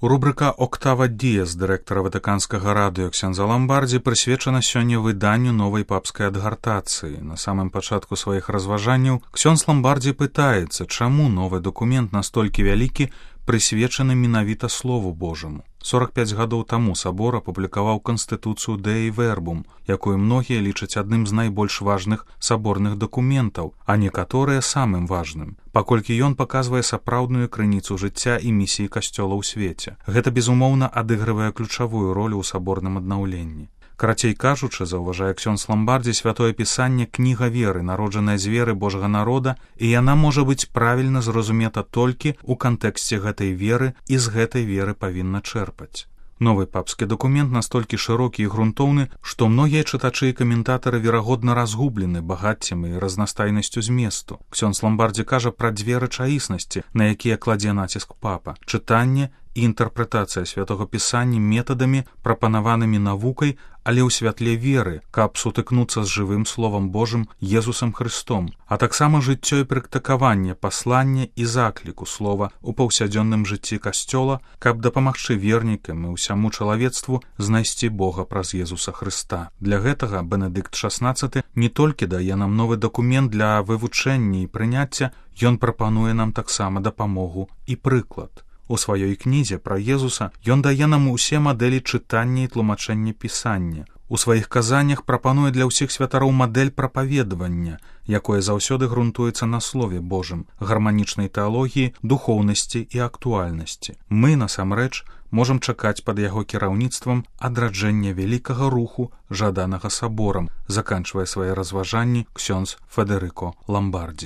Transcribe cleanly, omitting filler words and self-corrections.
Рубрика «Октава Діес» дырэктара Ватыканскага радыё ксяндза Ламбардзі прысвечана сёння выданню новай папскай адгартацыі. На самым пачатку сваіх разважанняў ксёндз Ламбардзі пытаецца, чаму новы дакумент настолькі вялікі, прысвечаны менавіта Слову Божаму. 45 гадоў таму сабор апублікаваў Канстытуцыю Dei Verbum, якую многія лічаць адным з найбольш важных саборных дакументаў, а некаторыя самым важным, паколькі ён паказвае сапраўдную крыніцу жыцця і місіі касцёла ў свеце. Гэта, безумоўна, адыгрывае ключавую ролю ў саборным аднаўленні. Карацей кажучы, заўважае ксёндз Ламбардзі, святое пісанне кніга веры, народжаная з веры Божага народа, і яна можа быць правільна зразумета толькі ў кантэксце гэтай веры і з гэтай веры павінна чэрпаць. Новы папскі дакумент настолькі шырокі і грунтоўны, што многія чытачы і каментатары верагодна разгублены багаццем і разнастайнасцю зместу. Ксёндз Ламбардзі кажа пра дзве рэчаіснасці, на якія кладзе націск папа: чытанне і інтэрпрэтацыя святога пісання метадамі, прапанаванымі навукай, але ў святле веры, каб сутыкнуцца з жывым Словам Божым Езусам Христом, а таксама жыццё і практыкаванне паслання і закліку слова ў паўсядзённым жыцці касцёла, каб дапамагчы вернікам і ўсяму чалавецтву знайсці Бога праз Езуса Хрыста. Для гэтага Бенедыкт XVI не толькі дае нам новы дакумент для вывучэння і прыняцця, ён прапануе нам таксама дапамогу і прыклад. У сваёй кнізе пра Езуса ён дае нам усе мадэлі чытання і тлумачэння пісання. У сваіх казаннях прапануе для ўсіх святароў мадэль прапаведавання, якое заўсёды грунтуецца на Слове Божым, гарманічнай тэалогіі, духоўнасці і актуальнасці. Мы, насамрэч, можам чакаць пад яго кіраўніцтвам адраджэння вялікага руху, жаданага саборам, заканчвае свае разважанні ксёндз Федэрыко Ламбардзі.